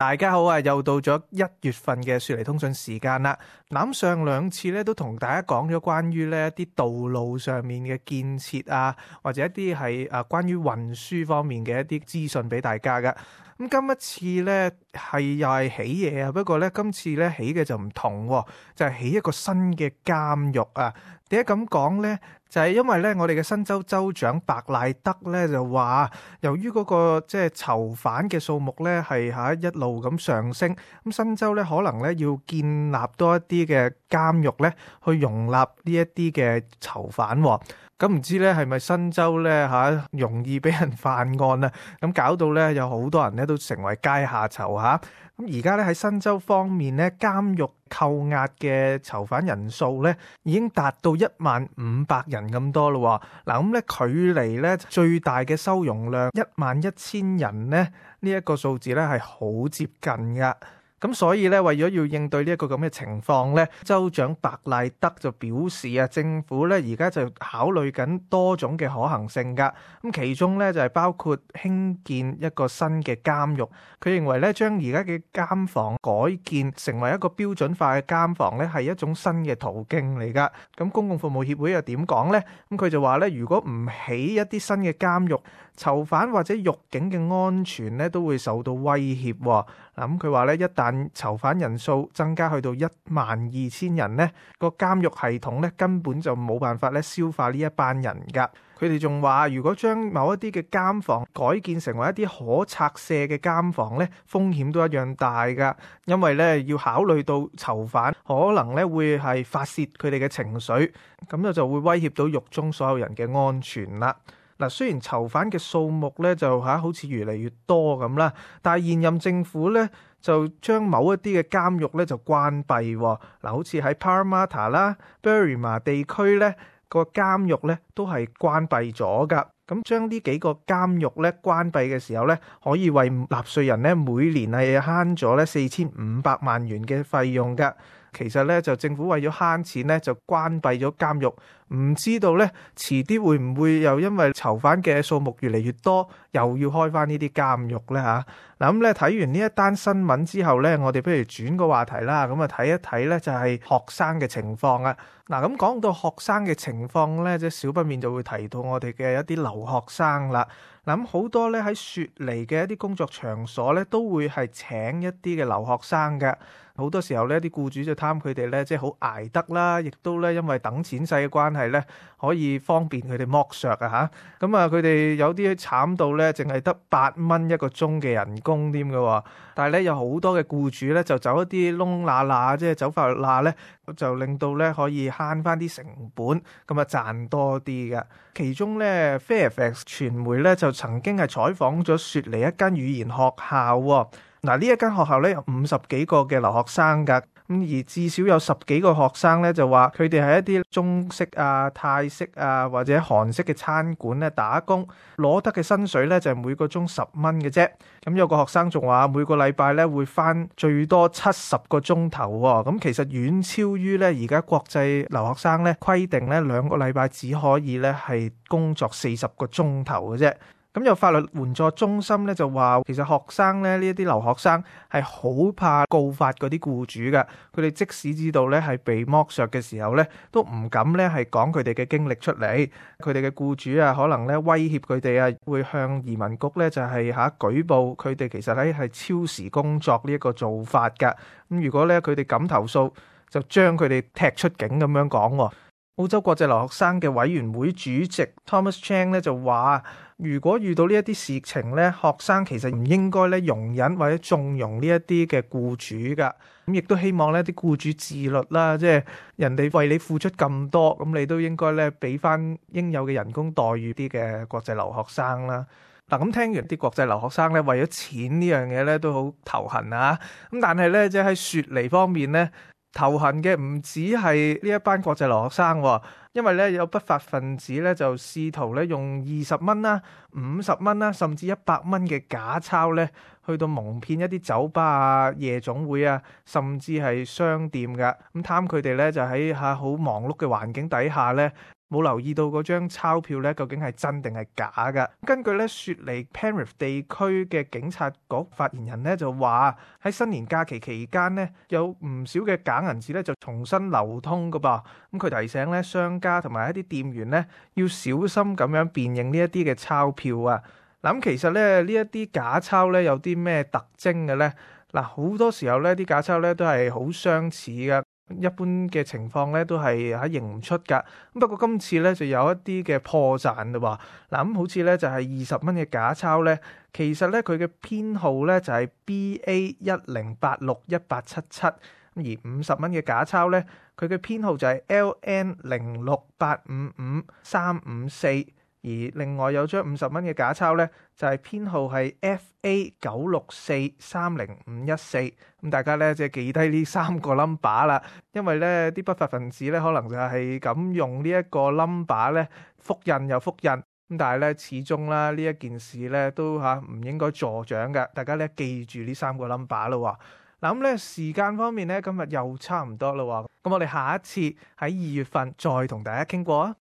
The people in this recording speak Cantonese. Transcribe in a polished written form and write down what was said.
大家好啊！又到咗1月份嘅雪梨通訊時間啦。咁上兩次咧都同大家講咗關於呢一啲道路上面嘅建設啊，或者一啲係關於運輸方面嘅一啲資訊俾大家噶。咁今一次咧又係起嘢啊，不過咧今次咧起嘅就唔同，就係起一個新嘅監獄啊。點解咁講呢？就係因為咧，我哋嘅新州州長白賴德咧就話，由於嗰個即係囚犯嘅數目咧係一路咁上升，咁新州咧可能咧要建立多一啲嘅監獄咧，去容納呢一啲嘅囚犯。咁唔知咧係咪新州咧容易俾人犯案啊？咁搞到咧有好多人咧都成為階下囚嚇。咁而家咧喺新州方面咧，監獄扣押嘅囚犯人數咧已經達到1500人咁多咯。嗱，咁咧距離咧最大嘅收容量11000人咧呢一個數字咧係好接近噶。咁所以咧，為咗要應對呢一個咁嘅情況咧，州長白賴德就表示啊，政府咧而家就考慮緊多種嘅可行性噶。咁其中咧就係包括興建一個新嘅監獄。佢認為咧，將而家嘅監房改建成為一個標準化嘅監房咧，係一種新嘅途徑嚟噶。咁公共服務協會又點講咧？咁佢就話咧，如果唔起一啲新嘅監獄，囚犯或者獄警嘅安全咧都會受到威脅。咁佢話咧，一旦囚犯人數增加去到12000人咧，個監獄系統咧根本就冇辦法咧消化呢一班人噶。佢哋仲話，如果將某一啲嘅監房改建成為一啲可拆卸嘅監房咧，風險都一樣大噶。因為咧要考慮到囚犯可能咧會係發洩佢哋嘅情緒，咁就會威脅到獄中所有人嘅安全啦。嗱，雖然囚犯嘅數目咧就好似越嚟越多咁啦，但係現任政府咧就將某一啲嘅監獄咧就關閉。嗱，好似喺 Parramatta 啦、Berrima 地區咧個監獄咧都係關閉咗噶。咁將呢幾個監獄咧關閉嘅時候咧，可以為納稅人咧每年係慳咗咧4500萬元嘅費用噶。其實咧就政府為咗慳錢咧就關閉咗監獄，唔知道咧遲啲會唔會又因為囚犯嘅數目越嚟越多，又要開翻呢啲監獄咧嚇？嗱，咁咧睇完呢一單新聞之後咧，我哋不如轉個話題啦，咁啊睇一睇咧就係學生嘅情況啊。嗱，咁講到學生嘅情況咧，即係少不免就會提到我哋嘅一啲留學生啦。嗱，咁好多咧喺雪梨嘅一啲工作場所咧，都會係請一啲嘅留學生嘅。好多時候呢啲僱主就貪佢哋咧，即係好捱得啦，亦都咧因為等錢使嘅關係咧，可以方便佢哋剝削啊嚇。咁啊，佢哋有啲慘到咧，淨係得8蚊一個鐘嘅人工添嘅。但係咧有好多嘅僱主咧，就走一啲窿罅罅，即係走法律罅咧，就令到咧可以慳翻啲成本，咁啊賺多啲嘅。其中咧 Fairfax 傳媒咧就曾經係採訪咗雪梨一間語言學校喎。嗱，呢一間學校咧有50幾個嘅留學生㗎，咁而至少有10幾個學生咧就話佢哋喺一啲中式啊、泰式啊或者韓式嘅餐館咧打工，攞得嘅薪水咧就係每個鐘10蚊嘅啫。咁有個學生仲話每個禮拜咧會返最多70個鐘頭喎，咁其實遠超於咧而家國際留學生咧規定咧2個禮拜只可以咧係工作40個鐘頭嘅啫。咁有法律援助中心咧就話，其實學生咧呢一啲留學生係好怕告發嗰啲僱主嘅，佢哋即使知道咧係被剝削嘅時候咧，都唔敢咧係講佢哋嘅經歷出嚟。佢哋嘅僱主啊，可能咧威脅佢哋啊，會向移民局咧就係舉報佢哋其實咧係超時工作呢一個做法㗎。咁如果咧佢哋敢投訴，就將佢哋踢出境咁樣講。澳洲國際留學生嘅委員會主席 Thomas Chang 咧就話，如果遇到呢一啲事情咧，學生其實唔應該咧容忍或者縱容呢一啲嘅僱主噶。咁亦都希望咧啲僱主自律啦，即係人哋為你付出咁多，咁你都應該咧俾翻應有嘅人工待遇啲嘅國際留學生啦。嗱，咁聽完啲國際留學生咧為咗錢呢樣嘢咧都好頭痕啊。咁但係咧即係喺雪梨方面咧，頭痕嘅唔止係呢一班國際留學生，因為咧有不法分子咧就試圖咧用20蚊啦、50蚊啦，甚至100蚊嘅假鈔咧，去到蒙騙一啲酒吧啊、夜總會啊，甚至係商店噶。咁貪佢哋咧就喺好忙碌嘅環境底下咧，冇留意到嗰張鈔票咧究竟係真定係假㗎。根據咧雪梨 Penrith 地區嘅警察局發言人咧就話喺新年假期期間咧有唔少嘅假銀紙咧就重新流通㗎噃。咁佢提醒咧商家同埋一啲店員咧要小心咁樣辨認呢一啲嘅鈔票啊。嗱，咁其實咧呢一啲假鈔咧有啲咩特徵嘅咧？嗱，好多時候咧啲假鈔咧都係好相似㗎。一般嘅情況咧都係認唔出㗎。不過今次咧就有一啲嘅破綻啦喎。嗱，咁好似咧就係20蚊嘅假鈔咧，其實咧佢嘅編號咧就係 BA10861877，而50蚊嘅假鈔咧佢嘅編號就係 LN068555354。而另外有張50蚊嘅假鈔咧，就係編號係 FA9643054。咁大家咧即係記低呢3個 number 啦，因為咧啲不法分子咧可能就係咁用呢一個 number 咧複印又複印。咁但係咧始終啦呢一件事咧都唔應該助長嘅，大家咧記住呢3個 number 咯。嗱，咁咧時間方面咧今日又差唔多啦喎，咁我哋下一次喺2月份再同大家傾過啊。